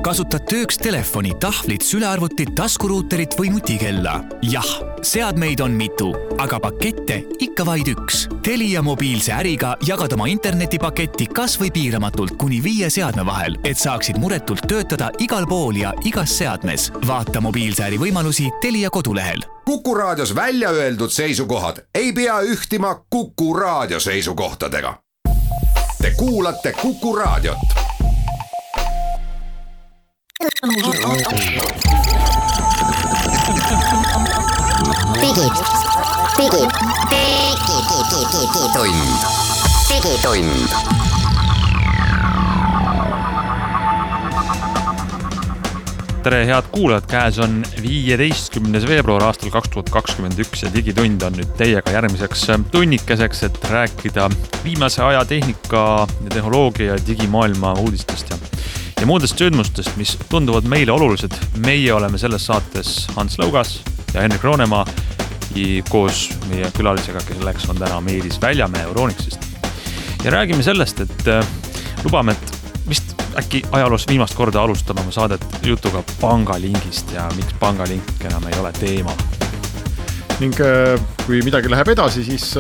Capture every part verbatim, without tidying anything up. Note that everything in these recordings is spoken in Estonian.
kasutad tööks telefoni, tahvlit, sülearvutit, taskuruuterit või nutikella? Jah, seadmeid on mitu, aga pakette ikka vaid üks. Telia mobiilse äriga jagad oma internetipaketti kas või piiramatult kuni viie seadme vahel, et saaksid muretult töötada igal pool ja igas seadmes. Vaata mobiilse äri võimalusi Telia kodulehel. Kuku Raadios välja öeldud seisukohad ei pea ühtima Kuku Raadio seisukohtadega. Te kuulate Kuku Raadiot. Digi, digi, digi, digi, digi tund, digi tund. Tere, head kuulajad, käes on viieteistkümnes veebruar aastal kaks tuhat kakskümmend üks ja digitund on nüüd teiega järgmiseks tunnikeseks, et rääkida viimase aja tehnika ja tehnoloogia ja digimaailma uudistest ja, ja muudest sündmustest, mis tunduvad meile olulised. Meie oleme selles saates Hans Lõugas ja Henrik Roonemaa koos meie külalisega, kelleks on täna Meelis Väljamäe Euronixist. Ja räägime sellest, et lubame, et vist äkki ajaloos viimast korda alustame oma saadet jutuga pangalingist ja miks pangalink enam ei ole teema. Ning kui midagi läheb edasi, siis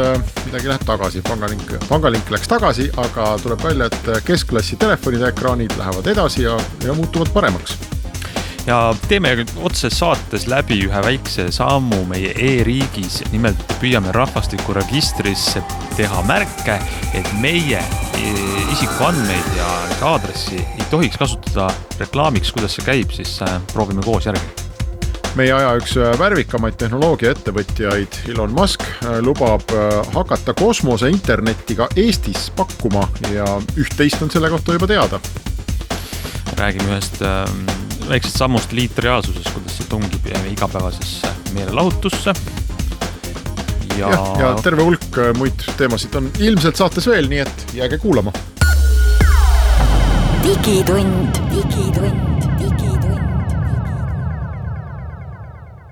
midagi läheb tagasi. Pangalink, pangalink läks tagasi, aga tuleb välja, et keskklassi telefonide ekraanid lähevad edasi ja, ja muutuvad paremaks. Ja teeme otse saates läbi ühe väikse sammu meie e-riigis. Nimelt püüame rahvastikuregistrisse teha märke, et meie isikuandmeid ja aadressi ei tohiks kasutada reklaamiks, kuidas see käib, siis proovime koos järgi. Meie aja üks värvikamaid tehnoloogia ettevõtjaid Elon Musk lubab hakata kosmose internetiga Eestis pakkuma ja üht-teist on selle kohta juba teada. Räägime ühest väiksest sammust liitreaalsuses, kuidas see tungib igapäevasesse meelelahutusse. Ja... Ja, ja terve hulk muid teemasid on ilmselt saates veel, nii et jääge kuulama. Digitund, digitund, digitund.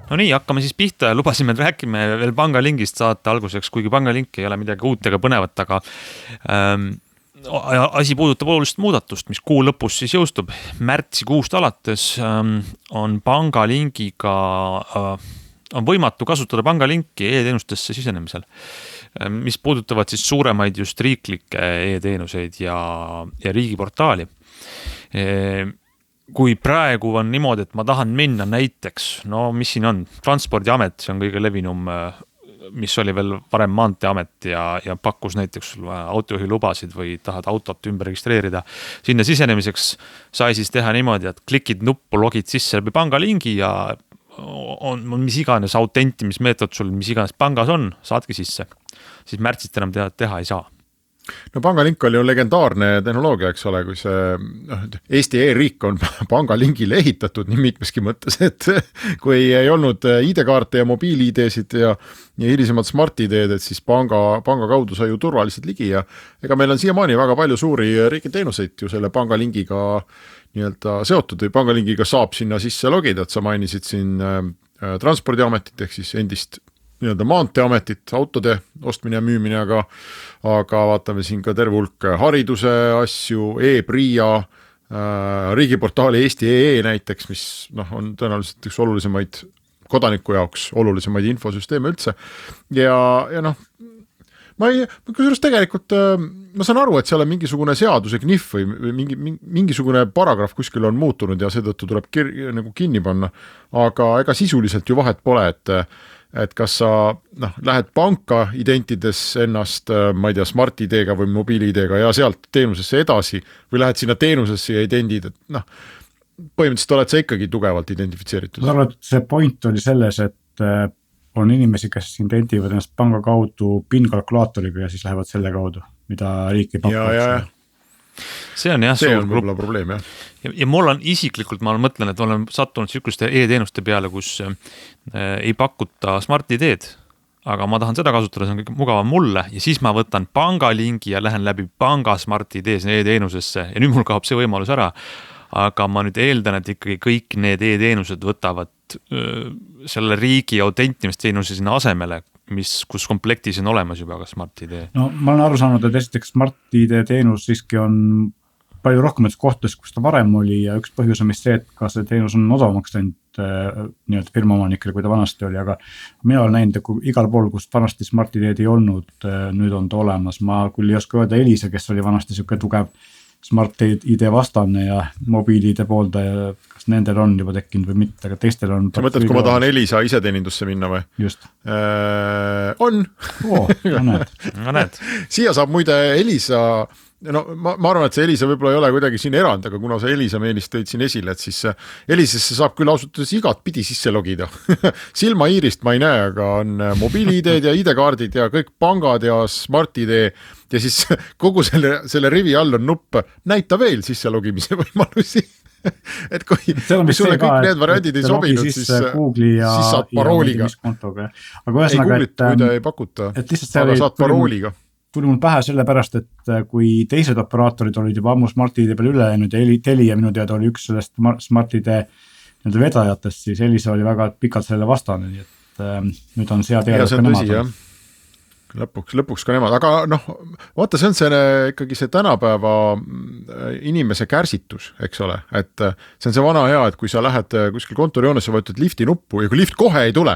No nii, hakkame siis pihta ja lubasime, et rääkime veel pangalingist saate alguseks, kuigi pangalink ei ole midagi uut ega põnevat, aga ähm, asi puudutab olulist muudatust, mis kuu lõpus siis jõustub. Märtsi kuust alates ähm, on pangalingiga äh, on võimatu kasutada pangalinki e-teenustesse sisenemisel, mis puudutavad siis suuremaid just riiklikke e-teenuseid ja, ja riigiportaali. Kui praegu on niimoodi, et ma tahan minna näiteks, no mis siin on, Transpordiamet, see on kõige levinum, mis oli veel varem Maanteeamet ja, ja pakkus näiteks autojuhi lubasid või tahad autot ümber registreerida. Sinna sisenemiseks sai siis teha niimoodi, et klikid nuppu, logid sisse läbi pangalingi ja on, on mis iganes autentimismeetod sul, mis iganes pangas on, saadki sisse. Siis märtsist enam teha, teha ei saa. No pangalink oli ju legendaarne tehnoloogia, eks ole, kui see no, Eesti e-riik on pangalingile ehitatud nii mitmeski mõttes, et kui ei olnud I D-kaarte ja mobiil-I D-sid ja, ja hilisemad smart-I D-d, et siis panga, panga kaudu sai ju turvaliselt ligi ja ega meil on siiamaani väga palju suuri riigiteenuseid ju selle pangalingiga nii-öelda seotud või pangalingiga saab sinna sisse logida, et sa mainisid siin äh, Transpordiametit ehk siis endist nii-öelda Maanteeametit, autode ostmine ja müümine, aga, aga vaatame siin ka terve hulk hariduse asju, e-Pria, äh, riigiportaali Eesti E E näiteks, mis noh, on tõenäoliselt üks olulisemaid kodaniku jaoks, olulisemaid infosüsteeme üldse. Ja, ja noh, ma ei, kusjuures tegelikult ma saan aru, et seal on mingisugune seaduse knif või mingi, mingisugune paragrahv kuskil on muutunud ja seetõttu tuleb kir, nagu kinni panna, aga ega sisuliselt ju vahet pole, et et kas sa noh, lähed panka identides ennast, ma ei tea, smart-I D-ga või mobiil-I D-ga ja sealt teenusesse edasi või lähed sinna teenusesse ja idendid, et noh, põhimõtteliselt oled sa ikkagi tugevalt identifitseeritud. Ma arvan, et see point oli selles, et on inimesi, kes identivad ennast panga kaudu PIN-kalkulaatoriga ja siis lähevad selle kaudu, mida riik ei pakkunud. See on jah, see on võib-olla probleem, jah. Ja, ja mul on isiklikult, ma mõtlen, et ma olen sattunud sikuste e-teenuste peale, kus äh, ei pakuta smart-I D-d, aga ma tahan seda kasutada, see on kõik mugavam mulle ja siis ma võtan pangalingi ja lähen läbi panga smart-I D e-teenusesse ja nüüd mul kaob see võimalus ära. Aga ma nüüd eeldan, et ikkagi kõik need e-teenused võtavad öö, selle riigi autentimisteenuse sinna asemele, mis, kus komplektis on olemas juba ka smart-I D. No ma olen aru saanud, et esiteks smart-I D teenus siiski on palju rohkemates kohtades, kus ta varem oli ja üks põhjus on vist see, et ka see teenus on odavamaks läinud nii-öelda firma omanikele, kui ta vanasti oli, aga mina olen näinud, et kui igal pool, kus vanasti Smart I D-d ei olnud, nüüd on ta olemas. Ma küll ei oska öelda Elisa, kes oli vanasti siuke tugev Smart I D vastane ja mobiili I D pooldaja, kas nendel on juba tekkinud või mitte, aga teistel on. Sa mõtled, kui ma tahan Elisa iseteenindusse minna või? Just. Äh, on. Oo, no näed. No näed. Siia saab muide Elisa, no ma, ma arvan, et see Elisa võib-olla ei ole kuidagi siin erand, aga kuna sa Elisa meelist tõid siin esile, et siis Elisesse saab küll ausutades igat pidi sisse logida. Silma iirist ma ei näe, aga on mobiili I D-d ja I D-kaardid ja kõik pangad ja Smart I D ja siis kogu selle, selle rivi all on nupp näita veel sisse logimise võimalusi. Et kui, kui sulle kõik need variandid ei sobinud, siis, ja, siis saad parooliga. Aga ühesõnaga, et, et, ei pakuta, et aga saad parooliga. Tuli mul pähe sellepärast, et kui teised operaatorid olid juba ammu Smart I D peal üle läinud ja Telia minu teada oli üks sellest Smart I D vedajatest, siis Elisa oli väga pikalt selle vastane, nii et äh, nüüd on sea teada. Ja see on tõsi, jah. Lõpuks, lõpuks ka nemad, aga noh, vaata, see on see, ikkagi see tänapäeva inimese kärsitus, eks ole, et see on see vana hea, et kui sa lähed kuskil kontorijoonesse, vajutad lifti nuppu ja kui lift kohe ei tule,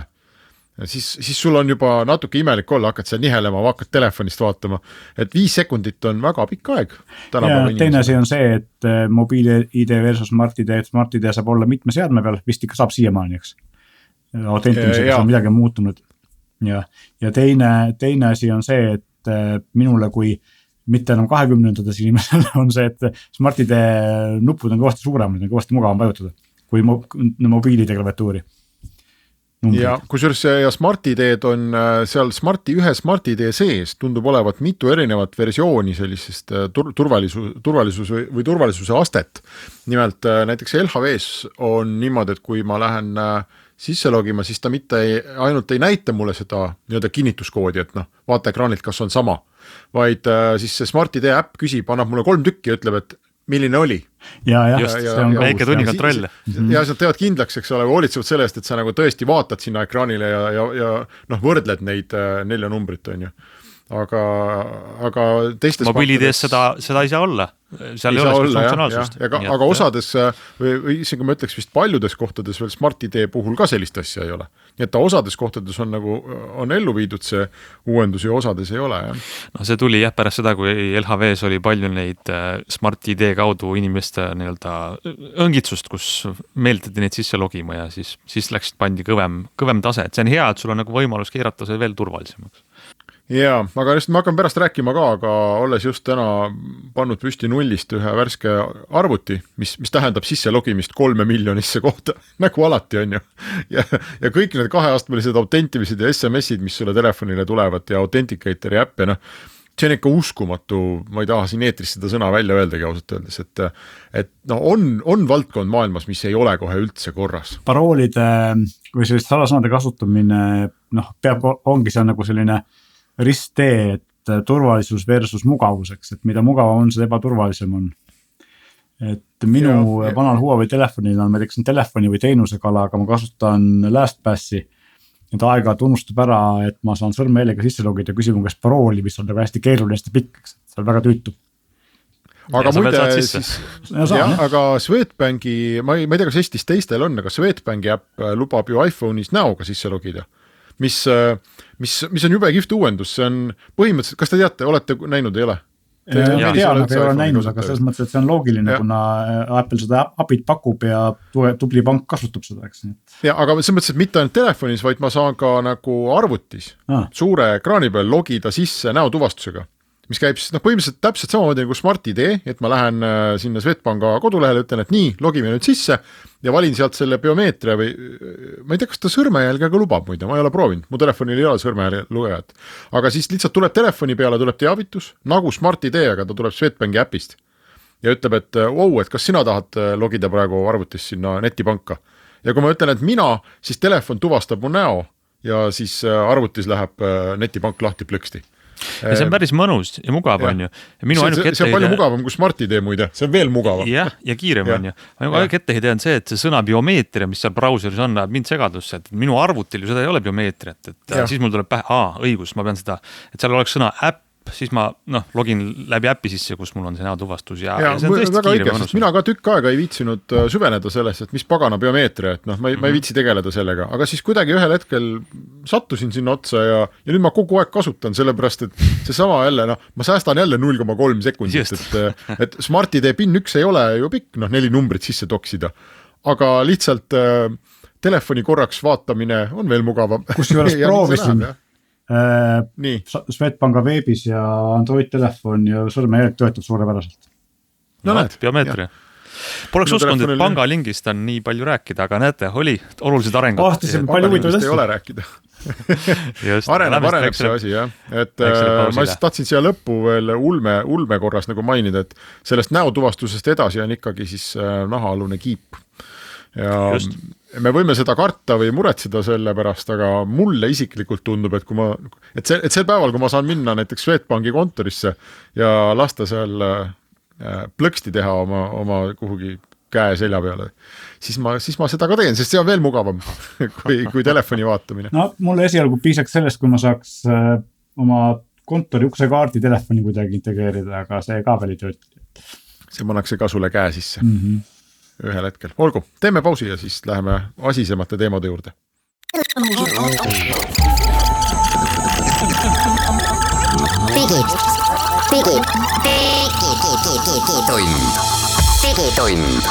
siis, siis sul on juba natuke imelik olla, hakkad seal nihelema, hakkad telefonist vaatama, et viis sekundit on väga pikk aeg. Ja teine asi on see, et mobiili I D versus Smart I D, et Smart I D saab olla mitme seadme peal, vist ikka saab siiamaani, eks. Autentimisega on midagi muutunud. Ja, ja teine, teine asi on see, et minule kui mitte enam kahekümnendades inimesel on see, et Smart I D nupud on kõvasti suuremad ja kõvasti mugavam vajutada kui mo- mobiilide klaviatuuri. Ja kusjuures ja Smart I D-d on seal Smart, ühe Smart I D sees tundub olevat mitu erinevat versiooni sellisest tur- turvalisus, turvalisus või, või turvalisuse astet. Nimelt näiteks L H V-s on niimoodi, et kui ma lähen sisse logima, siis ta mitte ei, ainult ei näita mulle seda nii-öelda kinnituskoodi, et noh, vaata ekraanilt, kas on sama, vaid äh, siis see Smart I D äpp küsib, annab mulle kolm tükki ja ütleb, et milline oli. Ja, ja, just, ja, see on väike tunnikontroll. Ja sa teevad kindlaks, eks ole, hoolitsevad selle eest, et sa nagu tõesti vaatad sinna ekraanile ja, ja, ja noh, võrdled neid äh, nelja numbrit, on ju. Aga, aga teistes mobiilides seda, seda ei saa olla. Seal ei, ei ole funktsionaalsust. Ja, ja, aga osades, või, või isegi ma ütleks vist paljudes kohtades veel Smart I D puhul ka sellist asja ei ole. Nii et ta osades kohtades on, nagu, on ellu viidud see uuendus ja osades ei ole. Jah. No see tuli jah pärast seda, kui L H V-s oli palju neid Smart I D kaudu inimeste nii-öelda õngitsust, kus meeldati neid sisse logima ja siis, siis läks pandi kõvem, kõvem tase. Et see on hea, et sul on nagu võimalus keerata see veel turvalisemaks. Jaa, aga just ma hakkan pärast rääkima ka, aga olles just täna pannud püsti nullist ühe värske arvuti, mis, mis tähendab sisse logimist kolme miljonisse kohta, nagu alati on ju. Ja, ja kõik need kaheastmelised autentimised ja S M S-id, mis sulle telefonile tulevad ja Authenticatori äpp ja noh, see on ikka uskumatu, ma ei taha siin eetris seda sõna välja öeldagi ausalt öeldes, et, et no on, on valdkond maailmas, mis ei ole kohe üldse korras. Paroolide või sellist salasõnade kasutamine, noh, peab, ongi see nagu selline risttee, et turvalisus versus mugavuseks, et mida mugavam on, seda ebaturvalisem on. Et minu ja, vanal Huawei telefonil on, ma teeksin telefoni või teenusekala, aga ma kasutan LastPassi. Nüüd aega tunnustab ära, et ma saan sõrmehäälega sisse logida ja küsima, kas parooli, mis on nagu hästi keeruline, hästi pikk, see on väga tüütu. Aga ja, muide, siis, ja, saan, ja, aga Swedbanki, ma ei, ma ei tea, kas Eestis teistel on, aga Swedbanki äpp lubab ju iPhone'is näoga sisse logida. Mis, mis, mis on jube kihvt uuendus, see on põhimõtteliselt, kas te teate, olete näinud, ei ole? Te tean, et ei ole näinud, aga selles mõttes, et see on loogiline, ja. Kuna Apple seda appit pakub ja tubli pank kasutab seda, eks. Ja, aga selles mõttes, et mitte ainult telefonis, vaid ma saan ka nagu arvutis ah. suure ekraani peal logida sisse näotuvastusega, mis käib siis noh, põhimõtteliselt täpselt samamoodi nagu Smart I D, et ma lähen sinna Swedbanka kodulehele, ütlen, et nii, logime nüüd sisse ja valin sealt selle biomeetria või ma ei tea, kas ta sõrmejälgega lubab muide, ma ei ole proovinud, mu telefonil ei ole sõrmejälge lugejat, aga siis lihtsalt tuleb telefoni peale, tuleb teavitus, nagu Smart I D, aga ta tuleb Swedbanki äpist ja ütleb, et wow, et kas sina tahad logida praegu arvutis sinna netipanka ja kui ma ütlen, et mina, siis telefon tuvastab mu näo ja siis arvutis läheb netipank lahti plõksti. Ja see on päris mõnus ja mugav ja. On ju. Ja minu see, see, see on palju mugavam kui Smart I D muide, see on veel mugavam. Jah, ja kiirem ja. On ju. Minu aeg etteheide on see, et see sõna biomeetria, mis seal brauseris on, näeb mind segadusse, et minu arvutil ju seda ei ole biomeetriat, et ja. Siis mul tuleb pähe, aa, õigus, ma pean seda, et seal oleks sõna äpp siis ma noh, login läbi äppi sisse, kus mul on see näotuvastus ja, ja, ja see on tõesti väga kiire õige, sest mina ka tükk aega ei viitsinud süveneda sellest, et mis pagana biomeetria, et noh, ma ei, mm-hmm. ma ei viitsi tegeleda sellega, aga siis kuidagi ühel hetkel sattusin sinna otsa ja, ja nüüd ma kogu aeg kasutan, sellepärast et see sama jälle, noh, ma säästan jälle null koma kolm sekundit, et, et Smart I D PIN üks ei ole ju pikk, noh, neli numbrit sisse toksida, aga lihtsalt äh, telefoni korraks vaatamine on veel mugavam. Kus juures proovisin äh, Swedbanka veebis ja Android telefon ja sõrmejälg töötab suurepäraselt. No, no näed, biomeetria. Poleks uskunud, et pangalingist on nii palju rääkida, aga näete, oli olulised arengud. Aastasime palju huvitav ei ole rääkida. areneb, areneb see asi, jah. Et äh, ma siis tahtsin siia lõppu veel ulme, ulme korras nagu mainida, et sellest näotuvastusest edasi on ikkagi siis äh, nahaalune kiip. Ja Just. me võime seda karta või muretseda selle pärast, aga mulle isiklikult tundub, et kui ma, et, see, et sel päeval, kui ma saan minna näiteks Swedbanki kontorisse ja lasta seal plõksti teha oma, oma kuhugi käe selja peale, siis ma, siis ma seda ka teen, sest see on veel mugavam kui, kui telefoni vaatamine. No mulle esialgu piisaks sellest, kui ma saaks äh, oma kontori uksekaardi telefoni kuidagi integreerida, aga see ka veel ei tööta. See pannakse ka sulle käe sisse mm-hmm. ühel hetkel. Olgu, teeme pausi ja siis läheme asisemate teemade juurde. Digid, digid, digitund, digitund.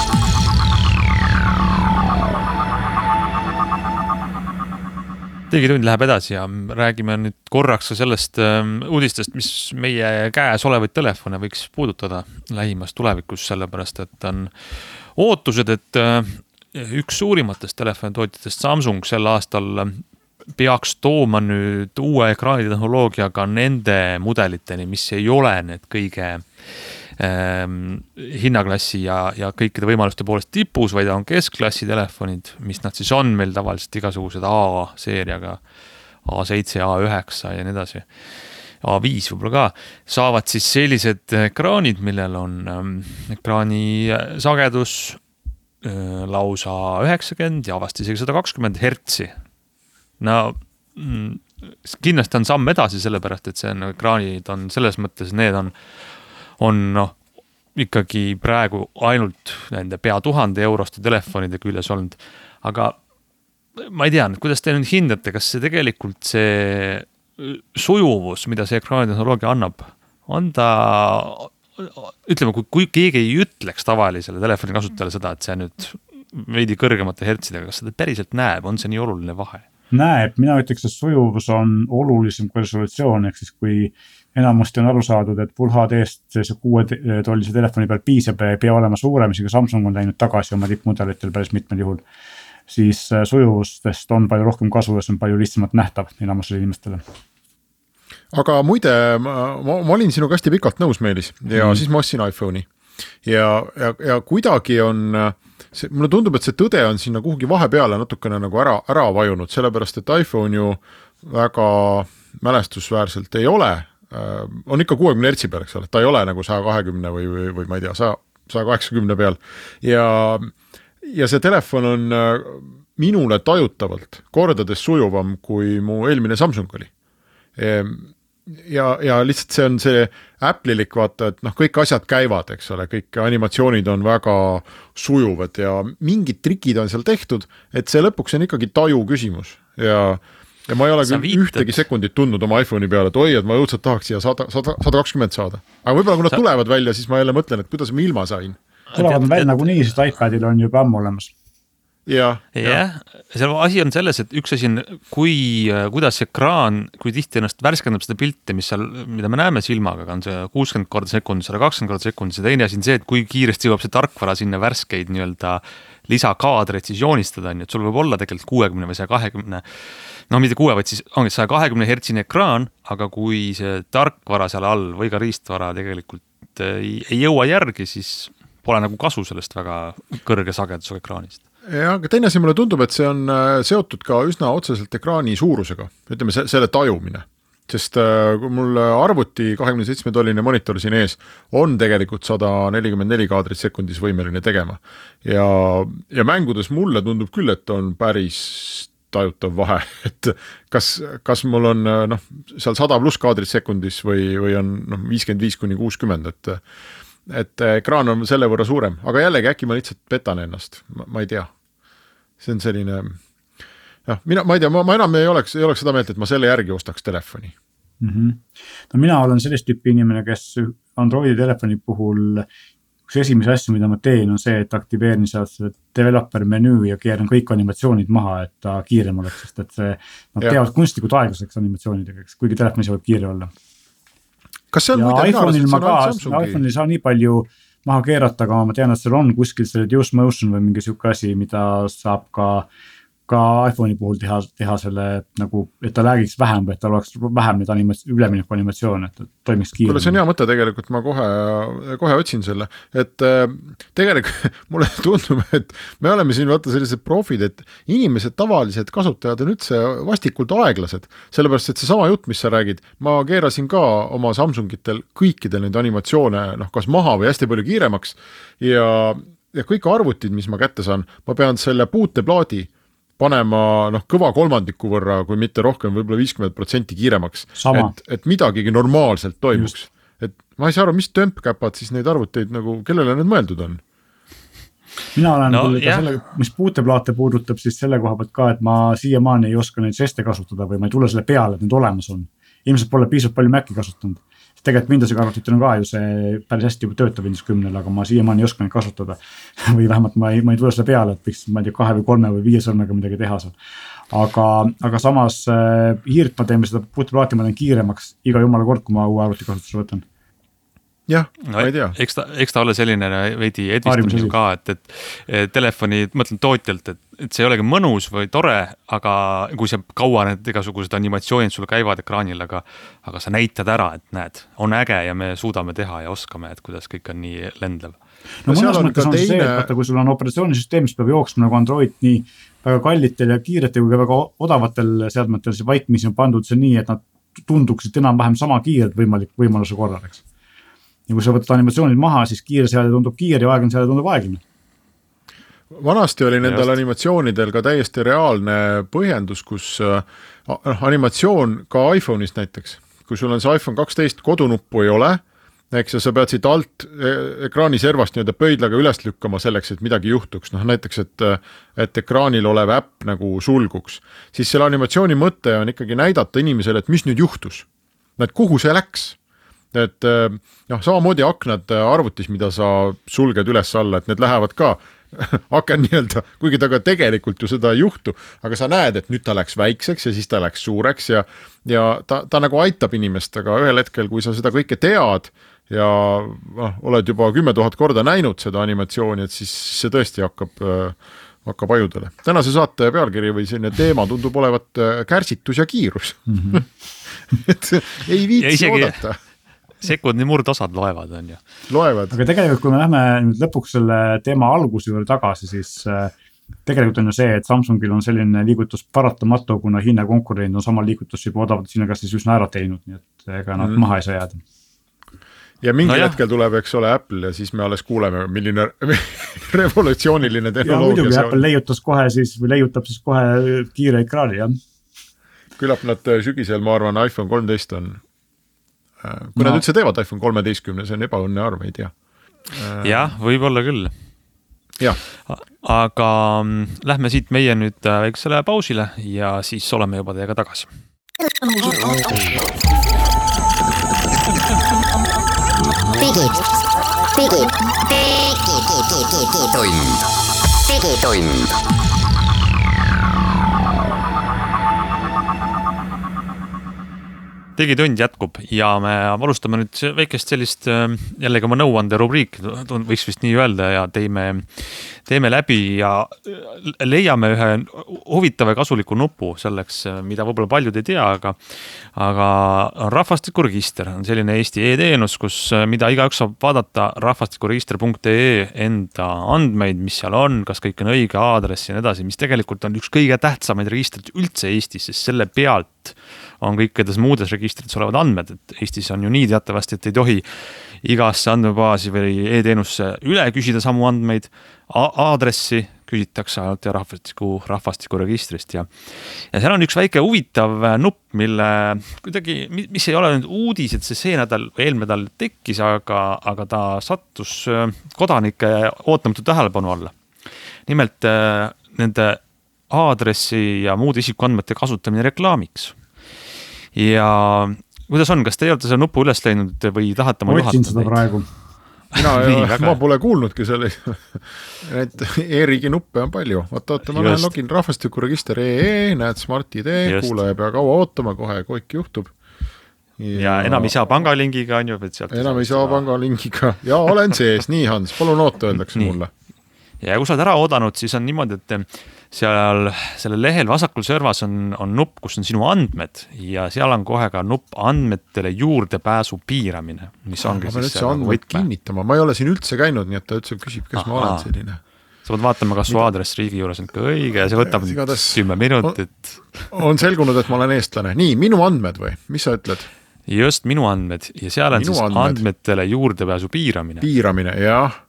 Digitund läheb edasi ja räägime nüüd korraks sellest uudistest, mis meie käes olevaid telefone võiks puudutada lähimas tulevikus, sellepärast et on ootused, et üks suurimatest telefonitootjatest Samsung sel aastal peaks tooma nüüd uue ekraanitehnoloogiaga nende mudeliteni, mis ei ole need kõige ähm, hinnaklassi ja, ja kõikide võimaluste poolest tipus, vaid on keskklassi telefonid, mis nad siis on meil tavaliselt igasugused A-seeriaga, A seitse, A üheksa ja nii edasi. A viis võib-olla ka, saavad siis sellised ekraanid, millel on ähm, ekraani sagedus äh, lausa üheksakümmend ja vast isegi sada kakskümmend hertsi. No kindlasti on samm edasi sellepärast, et see on, ekraanid on selles mõttes, need on, on noh, ikkagi praegu ainult nende pea tuhande euroste telefonide küljes olnud. Aga ma ei tea, kuidas te nüüd hindate, kas see tegelikult see sujuvus, mida see ekraanitehnoloogia annab, on ta, ütleme, kui, kui keegi ei ütleks tavalisele telefoni kasutajale seda, et see nüüd veidi kõrgemate hertsidega, kas seda päriselt näeb, on see nii oluline vahe? Näeb, mina ütleks, et sujuvus on olulisem kui resolutsioon, ehk siis kui enamasti on aru saadud, et Full H D-st see kuue tollise telefoni peal piisab ja ei pea olema suurem, isegi Samsung on läinud tagasi oma tippmudelitel päris mitmel juhul, siis sujuvustest on palju rohkem kasu ja see on palju lihtsamalt nähtav enamusele inimestele. Aga muide, ma, ma, ma olin sinuga hästi pikalt nõus, Meelis, ja mm. siis ma ostsin iPhone'i ja, ja, ja kuidagi on see, mulle tundub, et see tõde on sinna kuhugi vahepeale natukene nagu ära, ära vajunud, sellepärast, et iPhone ju väga mälestusväärselt ei ole, äh, on ikka kuuekümne hertsi peal, eks ole, ta ei ole nagu sada kakskümmend või, või, või ma ei tea, sada kaheksakümmend peal ja, ja see telefon on minule tajutavalt kordades sujuvam, kui mu eelmine Samsung oli. Ja, ja lihtsalt see on see Apple'ilik vaata, et noh, kõik asjad käivad, eks ole, kõik animatsioonid on väga sujuvad ja mingid trikid on seal tehtud, et see lõpuks on ikkagi taju küsimus ja, ja ma ei ole küll viitad. ühtegi sekundit tundnud oma iPhone'i peale, et oi, et ma õudselt tahaks siia sada kakskümmend saada. Aga võib-olla kui nad Sa... tulevad välja, siis ma jälle mõtlen, et kuidas ma ilma sain. Tulevad välja nagu nii, sest iPadil on juba ammu olemas. jah, jah. Seal asi on selles, et üks asi on, kui, kuidas ekraan, kui tihti ennast värskendab seda pilti, mis seal, mida me näeme silmaga, on see kuuskümmend korda sekund, sada kakskümmend korda sekund, see teine asi on see, et kui kiiresti jõuab see tarkvara sinna värskeid nii-öelda lisakaadreid siis joonistada, nii et sul võib olla tegelikult kuuekümne või saja kahekümne, no mitte kuue, vaid siis ongi saja kahekümne hertsine ekraan, aga kui see tarkvara seal all või ka riistvara tegelikult ei, ei jõua järgi, siis pole nagu kasu sellest väga kõrge sagedusega ekraanist. Ja, aga teine asi mulle tundub, et see on seotud ka üsna otseselt ekraani suurusega, ütleme selle tajumine, sest kui mul arvuti kahekümne seitsme tolline monitor siin ees on tegelikult sada nelikümmend neli kaadrit sekundis võimeline tegema ja, ja mängudes mulle tundub küll, et on päris tajutav vahe, et kas, kas mul on noh, seal sada pluss kaadrit sekundis või, või on noh, viiskümmend viis kuni kuuskümmend, et, et ekraan on selle võrra suurem, aga jällegi äkki ma lihtsalt petan ennast, ma, ma ei tea. See on selline, noh, mina, ma ei tea, ma, ma enam ei oleks, ei oleks seda meelt, et ma selle järgi ostaks telefoni. Mm-hmm. No mina olen sellist tüüpi inimene, kes Androidi telefoni puhul üks esimese asju, mida ma teen, on see, et aktiveerin sealt selle developer menüü ja keeran kõik animatsioonid maha, et ta kiirem oleks, sest et see, nad ja. teevad kunstlikult aeglaseks animatsioonidega, kuigi telefoni võib kiire olla. Kas seal ja muide iPhone'il ma ka, iPhone'il saa nii palju maha keerata, aga ma tean, et seal on kuskil see reduce motion või mingi siuke asi, mida saab ka ka iPhone'i puhul teha, teha selle nagu, et ta läägiks vähem või et tal oleks vähem neid animats- ülemineku animatsioon, et toimiks kiiremini. Kuule, see on hea mõte tegelikult, ma kohe, kohe otsin selle, et äh, tegelikult mulle tundub, et me oleme siin vaata sellised profid, et inimesed, tavalised kasutajad on üldse vastikult aeglased, sellepärast, et see sama jutt, mis sa räägid, ma keerasin ka oma Samsungitel kõikide neid animatsioone, noh, kas maha või hästi palju kiiremaks ja, ja kõik arvutid, mis ma kätte saan, ma pean selle puuteplaadi panema noh, kõva kolmandiku võrra, kui mitte rohkem, võib-olla viiskümmend protsenti kiiremaks, et, et midagigi normaalselt toimuks. Just. Et ma ei saa aru, mis tömpkäpad siis neid arvuteid, nagu, kellele need mõeldud on? Mina olen no, küll ka selle, mis puuteplaate puudutab, siis selle koha pealt ka, et ma siiamaani ei oska neid žeste kasutada või ma ei tule selle peale, et need olemas on. Ilmselt pole piisavalt palju Maci kasutanud. Tegelikult Windowsiga arvutitel on ka ju see päris hästi juba töötab Windows kümme, aga ma siiamaani ei oska neid kasutada. või vähemalt ma ei, ma ei tule selle peale, et võiks ma ei tea, kahe või kolme või viie sõrmega midagi teha seal. Aga, aga samas äh, hiirt ma teeme seda puuteplaati, ma teen kiiremaks iga jumala kord, kui ma uue arvuti kasutusele võtan. Jah, no, ma ei tea. Eks ta, eks ta ole selline veidi edvistamine ka, et, et telefoni, mõtlen tootjalt, et, et see ei olegi mõnus või tore, aga kui see kaua need igasugused animatsioonid sulle käivad ekraanil, aga, aga sa näitad ära, et näed, on äge ja me suudame teha ja oskame, et kuidas kõik on nii lendlev. No, no mõnes mõttes on teine... see, et vaata, kui sul on operatsioonisüsteem, mis peab jooksma nagu Android nii väga kallitel ja kiiretel kui ka väga odavatel seadmetel, see vaikmisi on pandud see nii, et nad tunduksid enam-vähem sama kiired võimalik võimaluse korral, eks. Ja kui sa võtad animatsioonid maha, siis kiire seade tundub kiire ja aeglane seade tundub aeglane. Vanasti oli nendel animatsioonidel ka täiesti reaalne põhjendus, kus äh, animatsioon ka iPhone'ist näiteks, kui sul on see iPhone kaksteist kodunuppu ei ole, eks ja sa pead siit alt ekraani servast nii-öelda pöidlaga üles lükkama selleks, et midagi juhtuks. Noh, näiteks, et, et ekraanil olev äpp nagu sulguks. Siis selle animatsiooni mõte on ikkagi näidata inimesele, et mis nüüd juhtus. Et kuhu see läks? Et noh, samamoodi aknad arvutis, mida sa sulged üles alla, et need lähevad ka aken nii-öelda, kuigi ta ka tegelikult ju seda ei juhtu, aga sa näed, et nüüd ta läks väikseks ja siis ta läks suureks ja, ja ta, ta nagu aitab inimest, aga ühel hetkel, kui sa seda kõike tead ja noh, oled juba kümme tuhat korda näinud seda animatsiooni, et siis see tõesti hakkab, hakkab ajudele. Tänase saate pealkiri või selline teema tundub olevat kärsitus ja kiirus. Mm-hmm. et ei viitsi isegi... oodata. Sekundi murdosad loevad, on ju. Loevad. Aga tegelikult, kui me lähme nüüd lõpuks selle teema alguse juurde tagasi, siis tegelikult on ju see, et Samsungil on selline liigutus paratamatu, kuna Hiina konkurent on sama liigutus juba odavalt sinna kas siis üsna ära teinud, nii et ega nad mm. maha ei saa jääda. Ja mingi no hetkel tuleb, eks ole, Apple ja siis me alles kuuleme, milline revolutsiooniline tehnoloogia ja muidugi Apple leiutas kohe siis, või leiutab siis kohe kiire ekraani, jah. Küllap nad sügisel, ma arvan, iPhone kolmteist on kui no. nad üldse teevad iPhone kolmeteistkümne, see on ebaõnne arv, ei tea. Jah, võib-olla küll. Ja. Aga lähme siit meie nüüd väiksele pausile ja siis oleme juba teiega tagasi. Digid, digid, digitund, digitund. Digitund jätkub ja me alustame nüüd väikest sellist jällegi oma nõuande rubriik, võiks vist nii öelda ja teeme, teeme läbi ja leiame ühe huvitava ja kasuliku nupu selleks, mida võib-olla paljud ei tea, aga, aga rahvastikuregister on selline Eesti e-teenus, kus mida igaüks saab vaadata rahvastikuregister punkt ee enda andmeid, mis seal on, kas kõik on õige aadress ja nii edasi, mis tegelikult on üks kõige tähtsamaid registrid üldse Eestis, sest selle pealt on kõikides muudes registrites olevad andmed, et Eestis on ju nii teatavasti, et ei tohi igasse andmebaasi või e-teenusse üle küsida samu andmeid, aadressi, küsitakse ainult ja rahvastiku, rahvastikuregistrist ja, ja seal on üks väike huvitav nupp, mille kuidagi, mis ei ole nüüd uudis, et see see nädal, eelmine nädal tekkis, aga, aga ta sattus kodanike ootamatu tähelepanu alla. Nimelt nende aadressi ja muude isikuandmete kasutamine reklaamiks. Ja kuidas on, kas te olete selle nupu üles leidnud või tahate ma juhatada? Otsin seda praegu. Mina, Nii, ma pole kuulnudki selle, et e-riigi nuppe on palju. Oota, oota, ma lähen login rahvastikuregister punkt ee, näed Smart I D, kuulaja pea kaua ootama, kohe kõik juhtub. Ja, ja enam ei saa pangalingiga, on ju. Enam ei saa pangalingiga. Ja olen sees, nii Hans, palun oota, öeldakse nii. Mulle. Ja kui sa oled ära oodanud, siis on niimoodi, et seal selle lehel vasakul servas on, on nupp, kus on sinu andmed ja seal on kohe ka nupp andmetele juurdepääsu piiramine, mis ongi ma pean üldse andmeid kinnitama, ma ei ole siin üldse käinud, nii et ta üldse küsib, kas Aha. ma olen selline. Sa pead vaatama, kas su aadress riigi juures on ka õige ja see võtab kümme minutit. On, on selgunud, et ma olen eestlane. Nii, minu andmed või? Mis sa ütled? Just, minu andmed ja seal on minu siis andmed. Andmetele juurdepääsu piiramine. Piiramine, jah.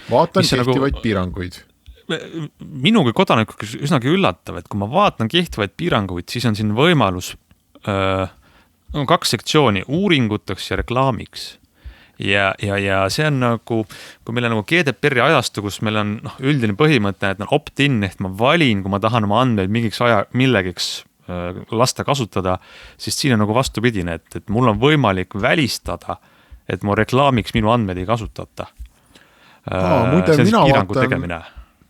Vaatan kehtivaid nagu... piiranguid. Minuga kodanikuga üsnagi üllatav, et kui ma vaatan kehtivaid piiranguid, siis on siin võimalus öö, kaks sektsiooni, uuringuteks ja reklaamiks. Ja, ja, ja see on nagu, kui meil on nagu G D P R-i ajastu, kus meil on noh, üldine põhimõte, et on opt-in, ehk ma valin, kui ma tahan oma andmeid mingiks aja, millegiks öö, lasta kasutada, siis siin on nagu vastupidine, et, et mul on võimalik välistada, et mu reklaamiks minu andmeid ei kasutata. Aa, muide, see on mina vaatan... tegemine.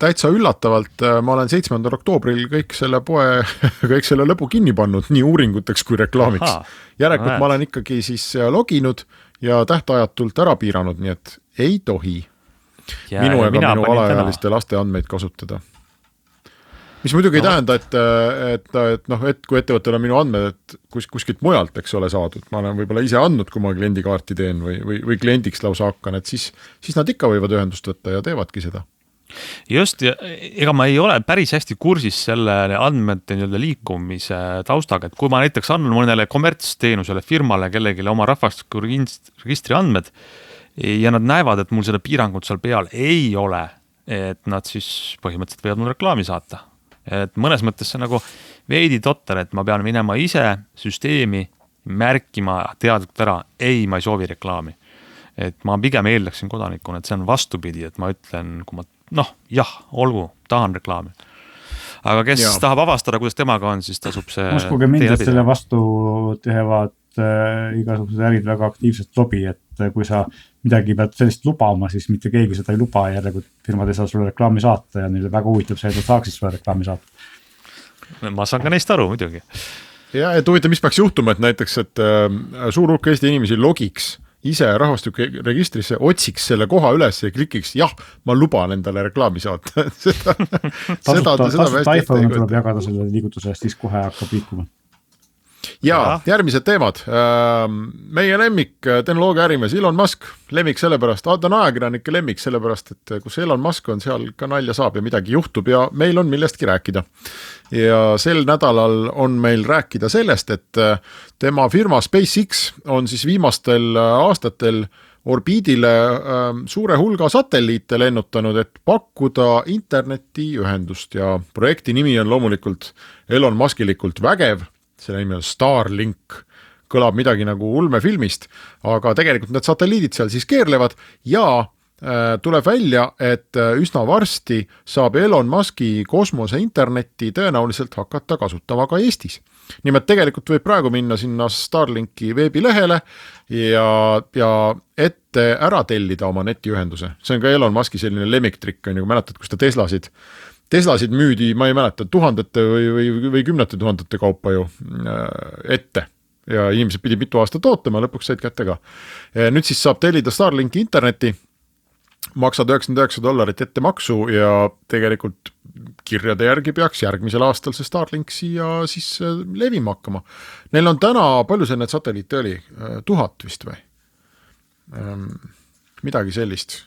Täitsa üllatavalt, ma olen seitsmendal oktoobril kõik selle poe, kõik selle lõbu kinni pannud, nii uuringuteks kui reklaamiks. Aha, Järelikult ma olen ikkagi siis loginud ja tähtajatult ära piiranud, nii et ei tohi ja, minu ega minu alaealiste täna. Laste andmeid kasutada. Mis muidugi no. ei tähenda, et, et, et, noh, et kui ettevõttel on minu andmed, et kus, kuskilt mujalt, eks ole saadud, ma olen võib-olla ise andnud, kui ma kliendikaarti teen või, või, või kliendiks lausa hakkan, et siis, siis nad ikka võivad ühendust võtta ja teevadki seda. Just, ja ega ma ei ole päris hästi kursis selle andmete liikumise taustaga, et kui ma näiteks annan mõnele kommertsteenusele firmale kellelegi oma rahvastikuregistri andmed ja nad näevad, et mul seda piirangut seal peal ei ole, et nad siis põhimõtteliselt võivad mul reklaami saata. Et mõnes mõttes see nagu veidi totter, et ma pean minema ise süsteemi märkima teadlikult ära, ei, ma ei soovi reklaami. Et ma pigem eeldaksin kodanikuna, et see on vastupidi, et ma ütlen, kui ma noh, jah, olgu, tahan reklaami. Aga kes ja. tahab avastada, kuidas temaga on, siis tasub see... Uskuge mind, et selle vastu tehevad äh, igasugused ärid väga aktiivselt lobi, et kui sa midagi pead sellist lubama, siis mitte keegi seda ei luba ja järelikult firmad ei saa sulle reklaami saata ja neile väga huvitab see, et nad saaksid sulle reklaami saata. Ma saan ka neist aru, muidugi. Ja, et huvitav, mis peaks juhtuma, et näiteks, et äh, suur hulk Eesti inimesi logiks ise rahvastikuregistrisse, otsiks selle koha üles ja klikiks, jah, ma luban endale reklaami saata. seda, tasuta, seda, tasuta iPhone tuleb jagada selle liigutuse, siis kohe hakkab liikuma. Ja, ja järgmised teemad. Meie lemmik tehnoloogia ärimees Elon Musk, lemmik sellepärast, ta on ajakirjanike lemmik sellepärast, et kus Elon Musk on, seal ka nalja saab ja midagi juhtub ja meil on millestki rääkida. Ja sel nädalal on meil rääkida sellest, et tema firma SpaceX on siis viimastel aastatel orbiidile suure hulga satelliite lennutanud, et pakkuda internetiühendust ja projekti nimi on loomulikult Elon Muskilikult vägev. See nimi on Starlink, kõlab midagi nagu ulmefilmist, aga tegelikult need satelliidid seal siis keerlevad ja äh, tuleb välja, et üsna varsti saab Elon Muski kosmose internetti tõenäoliselt hakata kasutama ka Eestis. Nimelt tegelikult võib praegu minna sinna Starlinki veebilehele ja, ja ette ära tellida oma netiühenduse. See on ka Elon Muski selline lemmiktrikk, on ju, mäletad, kus ta Teslasid Teslasid müüdi, ma ei mäleta, tuhandete või, või, või kümnete tuhandete kaupa ju ette ja inimesed pidi mitu aastat ootama, lõpuks said kätte ka. Nüüd siis saab tellida Starlinki interneti, maksad üheksakümmend üheksa dollarit ette maksu ja tegelikult kirjade järgi peaks järgmisel aastal see Starlink siia siis levima hakkama. Neil on täna, palju see need satelliite oli? Tuhat vist või? Midagi sellist.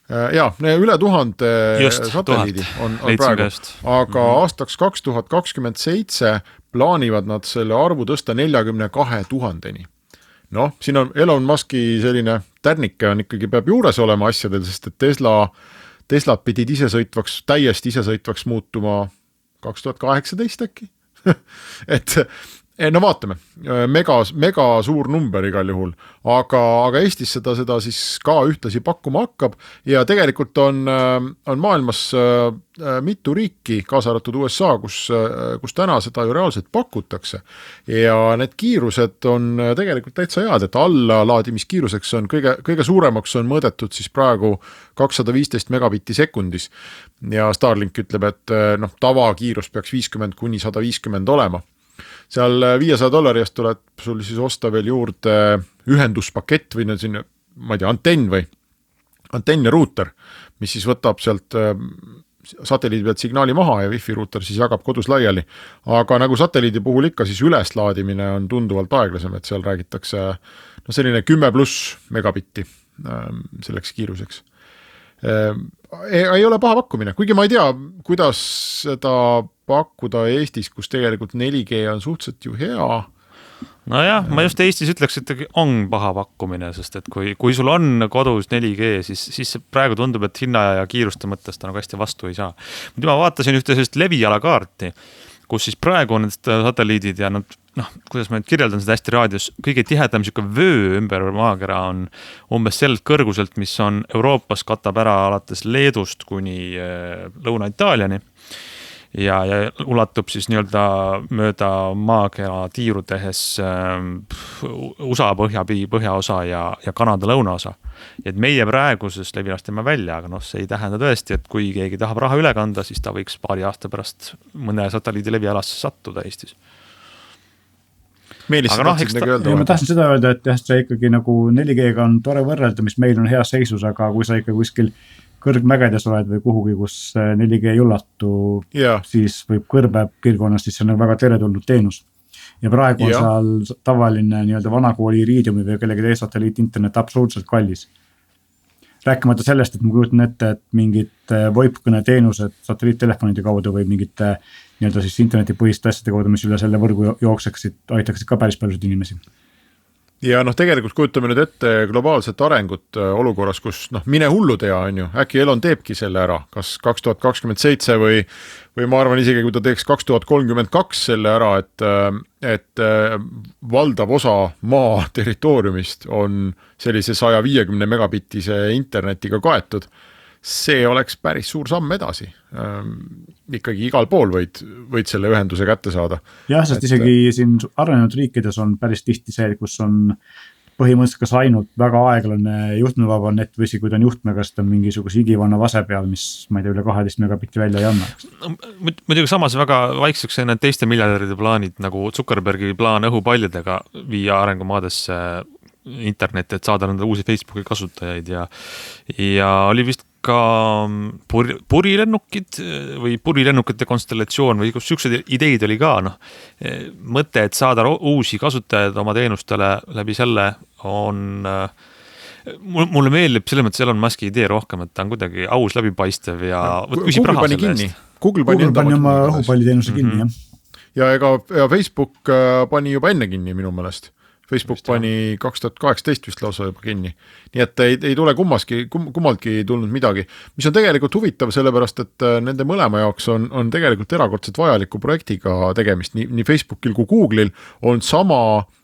Ja, üle tuhande just, satelliidi on, on praegu, aga mm-hmm. aastaks kaks tuhat kakskümmend seitse plaanivad nad selle arvu tõsta neljakümne kahe tuhandeni. Noh, siin on Elon Muski selline tärnike on ikkagi peab juures olema asjadel, sest et Tesla, Teslad pidid isesõitvaks, täiesti isesõitvaks muutuma kaks tuhat kaheksateist äkki. et no vaatame, mega, mega suur number igal juhul, aga, aga Eestis seda, seda siis ka ühtlasi pakkuma hakkab ja tegelikult on, on maailmas mitu riiki, kaasa arvatud U S A, kus, kus täna seda ju reaalselt pakutakse ja need kiirused on tegelikult täitsa head, et alla laadimiskiiruseks on kõige, kõige suuremaks on mõõdetud siis praegu kakssada viisteist megabitti sekundis ja Starlink ütleb, et noh, tavakiirus peaks viiskümmend kuni sada viiskümmend olema. Seal viiesaja dollari eest tuleb sul siis osta veel juurde ühenduspakett või siin, ma ei tea, antenn või antenn ja ruuter, mis siis võtab sealt satelliidi pealt signaali maha ja wifi ruuter siis jagab kodus laiali. Aga nagu satelliidi puhul ikka, siis üleslaadimine on tunduvalt aeglasem, et seal räägitakse no selline kümme pluss megabitti selleks kiiruseks. Ei, ei ole paha pakkumine, kuigi ma ei tea, kuidas seda pakkuda Eestis, kus tegelikult neli G on suhteliselt ju hea. No jah, ma just Eestis ütleks, et on paha pakkumine, sest et kui, kui sul on kodus neli G, siis, siis praegu tundub, et hinna ja kiiruste mõttes ta nagu hästi vastu ei saa. Ma vaatasin ühte sellist levialakaarti, kus siis praegu on need satelliidid ja nad, noh, kuidas ma nüüd kirjeldan seda hästi raadios, kõige tihedam siuke vöö ümber maakera on umbes sellelt kõrguselt, mis on Euroopas katab ära alates Leedust kuni Lõuna-Itaaliani ja, ja ulatub siis nii-öelda mööda maakera tiiru tehes U S A põhja, põhjaosa ja, ja Kanada lõunaosa. Et meie praeguses levilast teeme välja, aga noh, see ei tähenda tõesti, et kui keegi tahab raha üle kanda, siis ta võiks paari aasta pärast mõne satelliidi levialasse sattuda Eestis. Meelis, aga noh, eks ta, ja ma tahtsin seda öelda, et jah, see ikkagi nagu neli G-ga on tore võrrelda, mis meil on heas seisus, aga kui sa ikka kuskil kõrgmägedes oled või kuhugi, kus neli G ei ulatu, yeah. siis võib kõrbe piirkonnas, siis see on väga teretulnud teenus. Ja praegu on yeah. seal tavaline nii-öelda vanakooli Iridiumi või kellegi teie satelliit internet absoluutselt kallis. Rääkimata sellest, et ma kujutan ette, et mingid voipkõne teenused satelliittelefonide kaudu või mingite nii-öelda siis internetipõhiste asjade kaudu, mis üle selle võrgu jookseksid, aitaksid ka päris paljusid inimesi. Ja noh, tegelikult kujutame nüüd ette globaalset arengut olukorras, kus noh, mine hullu tea, on ju, äkki Elon teebki selle ära, kas kaks tuhat kakskümmend seitse või, või ma arvan isegi, kui ta teeks kaks tuhat kolmkümmend kaks selle ära, et, et valdav osa maa territooriumist on sellise saja viiekümne megabittise internetiga kaetud. See oleks päris suur samm edasi. Ähm, ikkagi igal pool võid, võid selle ühenduse kätte saada. Jah, sest et isegi siin arenenud riikides on päris tihti see, kus on põhimõtteliselt kas ainult väga aeglane juhtmevaba net või kui ta on juhtmega, sest on mingisuguse igivanna vase peal, mis ma ei tea, üle kaheteist megabitti välja ei anna. Muidugi samas väga vaikseks need teiste miljardide plaanid, nagu Zuckerbergi plaan õhupaljadega viia arengumaadesse internet, et saada nende uusi Facebooki kasutajaid ja, ja oli vist ka puri, purilennukid või purilennukite konstellatsioon või kus siuksed ideid oli ka, noh, mõte, et saada uusi kasutajaid oma teenustele läbi selle on, mulle meeldib selles mõttes Elon Muski idee rohkem, et ta on kuidagi aus, läbipaistev ja küsib raha selle eest. Google pani, Google pani oma õhupalliteenuse kinni, mm-hmm. jah. Ja ega ja Facebook pani juba enne kinni minu meelest. Facebook pani kaks tuhat kaheksateist vist lausa juba kinni. Nii et ei, ei tule kummaski, kum, kummaltki tulnud midagi, mis on tegelikult huvitav, sellepärast, et nende mõlema jaoks on, on tegelikult erakordselt vajaliku projektiga tegemist. Nii, nii Facebookil kui Google'il on sama,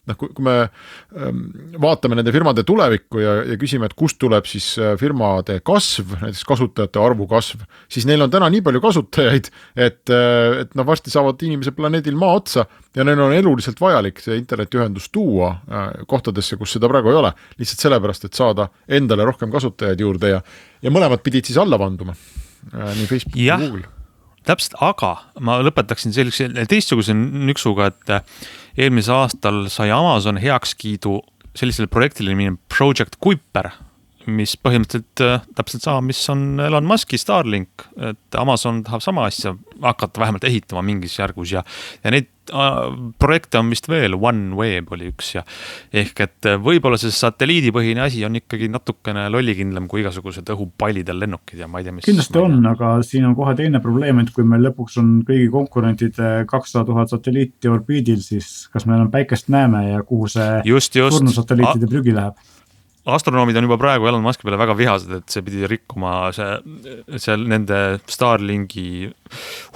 noh, kui, kui me ähm, vaatame nende firmade tulevikku ja, ja küsime, et kust tuleb siis firmade kasv, näiteks kasutajate arvu kasv, siis neil on täna nii palju kasutajaid, et, et noh, varsti saavad inimesed planeedil maa otsa ja neil on eluliselt vajalik see internetiühendus tuua kohtadesse, kus seda praegu ei ole, lihtsalt sellepärast, et saada endale rohkem kasutajaid juurde ja, ja mõlemad pidid siis alla vanduma, nii Facebook ja Google. Täpselt, aga ma lõpetaksin sellise teistsuguse nüksuga, et eelmise aastal sai Amazon heakskiidu sellisele projektile nimine Project Kuiper, mis põhimõtteliselt täpselt sama, mis on Elon Muski Starlink, et Amazon tahab sama asja hakata vähemalt ehitama mingis järgus ja, ja neid projekte on vist veel, OneWeb oli üks ja ehk et võib-olla see satelliidipõhine asi on ikkagi natukene lollikindlam kui igasugused õhupallidel lennukid ja ma ei tea, mis kindlasti on, aga siin on kohe teine probleem, et kui meil lõpuks on kõigi konkurentide kakssada tuhat satelliiti orbiidil, siis kas meil on päikest näeme ja kuhu see just, just. surnu satelliitide prügi läheb? astronoomid on juba praegu Elon Muski peale väga vihased, et see pidi rikkuma see, see nende Starlinki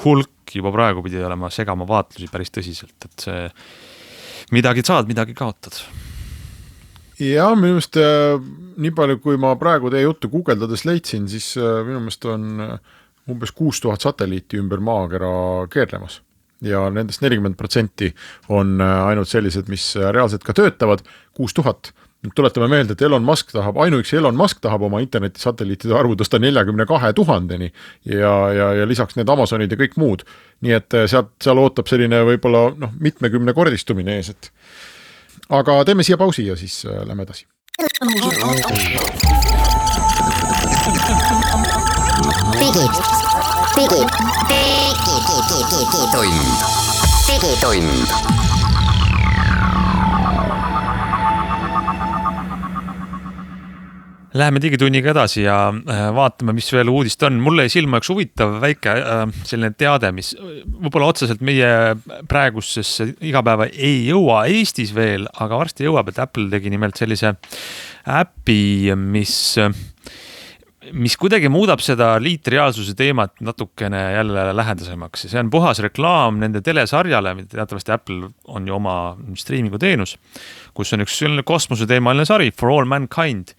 hulk juba praegu pidi olema segama vaatlusi päris tõsiselt, et see midagi saad, midagi kaotad. Ja minu meelest nii palju, kui ma praegu teie juttu guugeldades leidsin, siis minu meelest on umbes kuus tuhat satelliiti ümber maakera keerlemas. Ja nendest nelikümmend protsenti on ainult sellised, mis reaalselt ka töötavad, kuus tuhat. Nüüd tuletame meelde, et Elon Musk tahab, ainuüksi Elon Musk tahab oma interneti satelliitide arvu tõsta neljakümne kahe tuhandeni ja, ja, ja lisaks need Amazonid ja kõik muud. Nii et seal, seal ootab selline võib-olla noh, mitmekümne kordistumine ees, et aga teeme siia pausi ja siis lähme edasi. Digid, digid, digitund, digitund. Läheme digitunniga edasi ja vaatame, mis veel uudist on. Mulle ei silma üks huvitav väike selline teade, mis võib-olla otseselt meie praegusesse igapäeva ei jõua Eestis veel, aga varsti jõuab, et Apple tegi nimelt sellise äpi, mis, mis kuidagi muudab seda liitreaalsuse teemat natukene jälle lähedasemaks. See on puhas reklaam nende telesarjale, mida teatavasti Apple on ju oma streamingu teenus, kus on üks kosmose teemaline sari For All Mankind.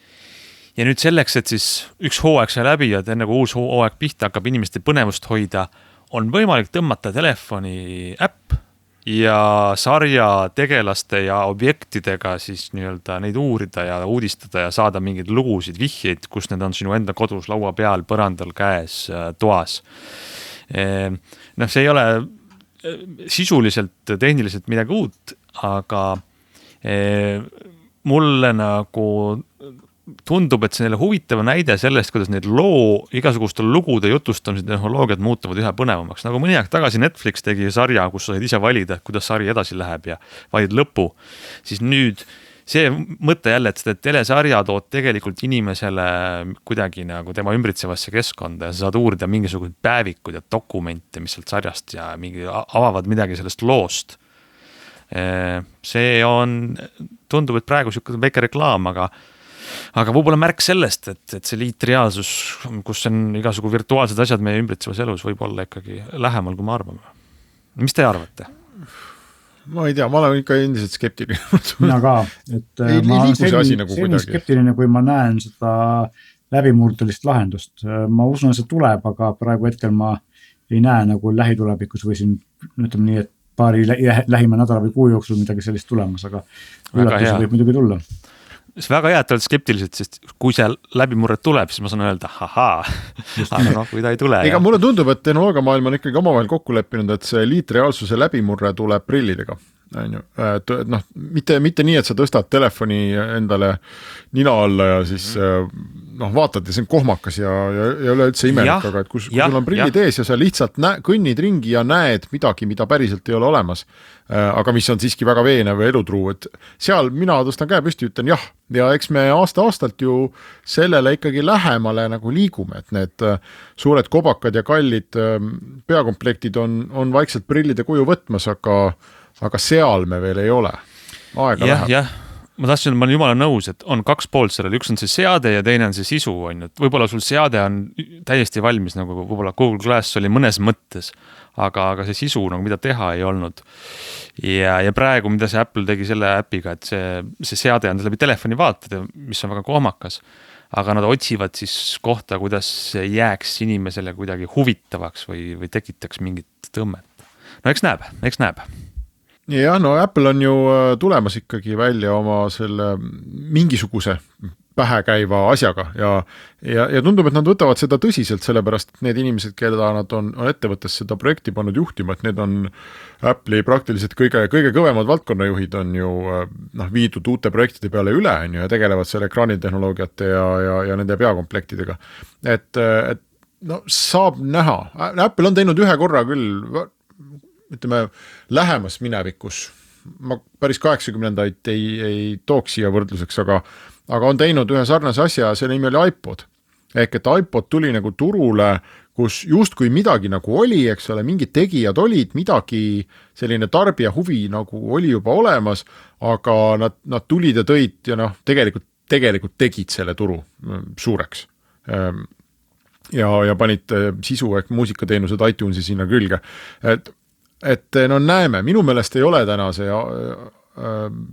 Ja nüüd selleks, et siis üks hooaeg sai läbi ja enne kui uus hooaeg pihta hakkab inimeste põnevust hoida, on võimalik tõmmata telefoni äpp ja sarja tegelaste ja objektidega siis nii-öelda neid uurida ja uudistada ja saada mingeid lugusid, vihjeid, kus need on sinu enda kodus, laua peal, põrandal, käes, toas. Noh, see ei ole sisuliselt, tehniliselt midagi uut, aga mulle nagu tundub, et see neile huvitava näide sellest, kuidas need loo, igasuguste lugude jutustamise tehnoloogiad muutuvad ühe põnevamaks. Nagu mõni aeg tagasi Netflix tegi sarja, kus sa said ise valida, kuidas sari edasi läheb ja valid lõpu. Siis nüüd see mõte jälle, et seda telesarja tood tegelikult inimesele kuidagi nagu tema ümbritsevasse keskkonda ja sa saad uurida mingisugused päevikud ja dokumente, mis sealt sarjast ja mingi, avavad midagi sellest loost. See on, tundub, et praegu siuke väike reklaam, aga Aga võib-olla märk sellest, et, et see liitreaalsus, kus on igasugu virtuaalsed asjad meie ümbritsevas elus, võib olla ikkagi lähemal, kui me arvame. Mis te arvate? Ma ei tea, ma olen ikka endiselt skeptiline. Mina ka. Et ei ma liigu see asi nagu kuidagi. Skeptiline, kui ma näen seda läbimurdelist lahendust. Ma usun, et see tuleb, aga praegu hetkel ma ei näe nagu lähitulevikus või siin, ütleme nii, et paari lähima nädala või kuu jooksul midagi sellist tulemas, aga üllatus võib muidugi tulla. See väga hea, et oled skeptiliselt, sest kui see läbimurret tuleb, siis ma saan öelda, hahaa, aga noh, kui ta ei tule. Ega mulle tundub, et tehnoloogiamaailm on ikkagi omavahel kokku leppinud, et see liitreaalsuse läbimurre tuleb prillidega. Et noh, mitte, mitte nii, et sa tõstad telefoni endale nina alla ja siis noh, vaatad ja see on kohmakas ja, ja, ja üleüldse imelik, aga et kus, kui sul on prillid ja. ees ja sa lihtsalt näe, kõnnid ringi ja näed midagi, mida päriselt ei ole olemas, aga mis on siiski väga veenev ja elutruu, et seal mina tõstan käe püsti, ütlen jah, ja eks me aasta-aastalt ju sellele ikkagi lähemale nagu liigume, et need suured kobakad ja kallid peakomplektid on, on vaikselt prillide kuju võtmas, aga aga seal me veel ei ole. Aega jah, läheb. Jah, ma tahtsin, ma olen jumala nõus, et on kaks poolt sellel, üks on see seade ja teine on see sisu, on ju. Võib-olla sul seade on täiesti valmis, nagu võib-olla Google Glass oli mõnes mõttes, aga, aga see sisu, nagu mida teha ei olnud. Ja, ja praegu, mida see Apple tegi selle äpiga, et see, see seade on läbi telefoni vaatada, mis on väga kohmakas, aga nad otsivad siis kohta, kuidas jääks inimesele kuidagi huvitavaks või, või tekitaks mingit tõmmet. No eks näeb, eks näeb. Ja no Apple on ju tulemas ikkagi välja oma selle mingisuguse pähekäiva asjaga ja, ja, ja tundub, et nad võtavad seda tõsiselt, sellepärast et need inimesed, keda nad on, on ettevõttes seda projekti pannud juhtima, et need on Apple'i praktiliselt kõige, kõige kõvemad valdkonnajuhid on ju noh, viidud uute projektide peale üle on ju, ja tegelevad selle ekraanitehnoloogiate ja, ja, ja nende peakomplektidega. Et, et no, saab näha. Apple on teinud ühe korra küll ütleme, lähemas minevikus, ma päris kaheksakümnendaid ei, ei tooks siia võrdluseks, aga, aga on teinud ühe sarnase asja, selle nimi oli iPod. Ehk et iPod tuli nagu turule, kus justkui midagi nagu oli, eks ole, mingid tegijad olid, midagi selline tarbija huvi nagu oli juba olemas, aga nad, nad tulid ja tõid ja noh, tegelikult tegelikult tegid selle turu suureks ja, ja panid sisu ehk muusikateenused iTunesi sinna külge. Et, et no näeme, minu meelest ei ole täna see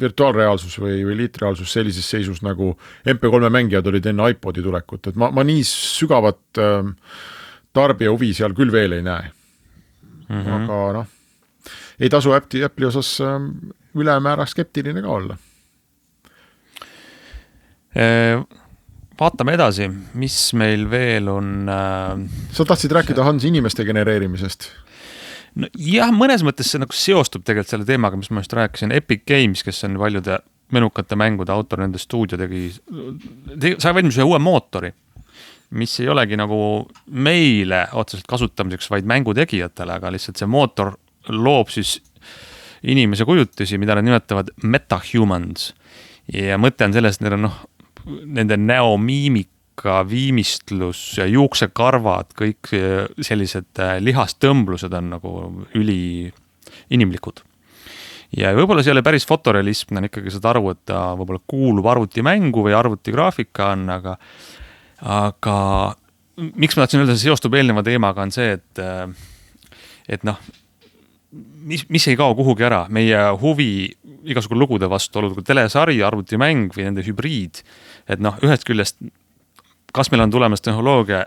virtuaalreaalsus või, või liitreaalsus sellises seisus nagu M P kolme mängijad olid enne iPodi tulekut, et ma, ma nii sügavat äh, tarbija huvi seal küll veel ei näe. Mm-hmm. Aga noh, ei tasu Apple'i, Apple'i osas äh, ülemäära skeptiline ka olla. Vaatame edasi, mis meil veel on äh... Sa tahtsid rääkida Hans inimeste genereerimisest? No, jah, mõnes mõttes see nagu seostub tegelikult selle teemaga, mis ma just rääkisin. Epic Games, kes on paljude menukate mängude autor, nende stuudio tegi, sai valmis ühe uue mootori, mis ei olegi nagu meile otseselt kasutamiseks, vaid mängutegijatele, aga lihtsalt see mootor loob siis inimese kujutisi, mida nad nimetavad metahumans. Ja mõte on sellest, et neil on noh, nende näomiimika, viimistlus ja juuksekarvad, kõik sellised lihastõmblused on nagu üli inimlikud. Ja võib-olla see ei ole päris fotorealism, on ikkagi saad aru, et ta võib-olla kuulub arvutimängu või arvutigraafika on, aga, aga miks ma tahtsin öelda, see seostub eelneva teemaga on see, et, et noh, mis, mis ei kao kuhugi ära, meie huvi igasugu lugude vastu, olgu telesari, arvutimäng või nende hübriid, et noh, ühest küljest, kas meil on tulemas tehnoloogia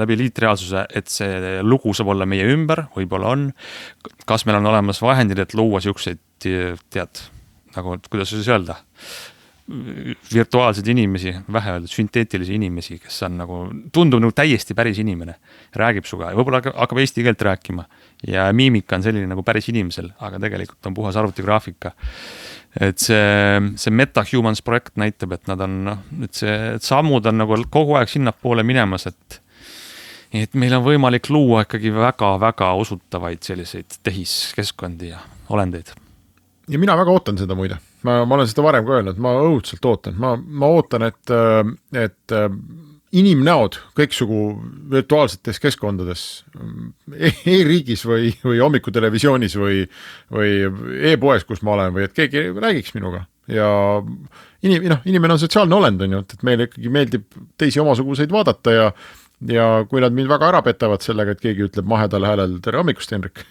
läbi liitreaalsuse, et see lugu saab olla meie ümber, võib-olla on, kas meil on olemas vahendid, et luua siukseid, tead, nagu, kuidas siis öelda, virtuaalseid inimesi, vähe öeldud, sünteetilisi inimesi, kes on nagu, tundub nagu täiesti päris inimene, räägib suga ja võib-olla hakkab eesti keelt rääkima ja miimika on selline nagu päris inimesel, aga tegelikult on puhas arvutigraafika. Et see, see MetaHumans projekt näitab, et nad on, et see et sammud on nagu kogu aeg sinna poole minemas, et, et meil on võimalik luua ikkagi väga-väga usutavaid selliseid tehiskeskkondi ja olendeid. Ja mina väga ootan seda muide. Ma, ma olen seda varem ka öelnud, ma õudselt ootan. Ma, ma ootan, et, et inimnäod kõiksugu virtuaalsetes keskkondades e-riigis või, või hommikutelevisioonis või, või e-poes, kus ma olen, või et keegi räägiks minuga. Ja inim, noh, inimene on sotsiaalne olend, on ju, et meile ikkagi meeldib teisi omasuguseid vaadata ja, ja kui nad mind väga ära petavad sellega, et keegi ütleb mahedal häälel tere hommikust, Henrik,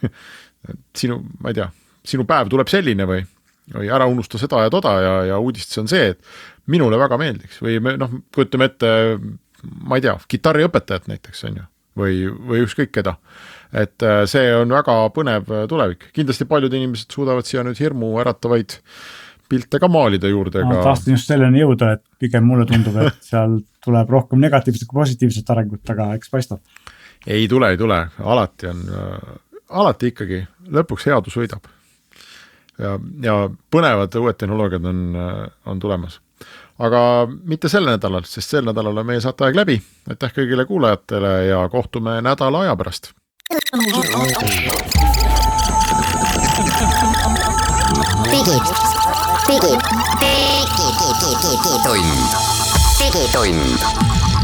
sinu, ma ei tea, sinu päev tuleb selline või, või ära unusta seda ja toda ja, ja uudistes on see, et minule väga meeldiks või me, noh, kujutame ette, ma ei tea, kitarriõpetajat näiteks on ju, või, või ükskõik keda. Et see on väga põnev tulevik. Kindlasti paljud inimesed suudavad siia nüüd hirmu äratavaid pilte ka maalida juurde. Ma tahtsin just selleni jõuda, et pigem mulle tundub, et seal tuleb rohkem negatiivset kui positiivset arengut, aga eks paistab. Ei tule, ei tule. Alati on, alati ikkagi lõpuks headus võidab. Ja, ja põnevad uued tehnoloogiad on, on tulemas. Aga mitte sel nädalal, sest sel nädalal on meie saateaeg läbi. Aitäh kõigile kuulajatele ja kohtume nädala aja pärast. Digid, digid, digid, digitund, digitund.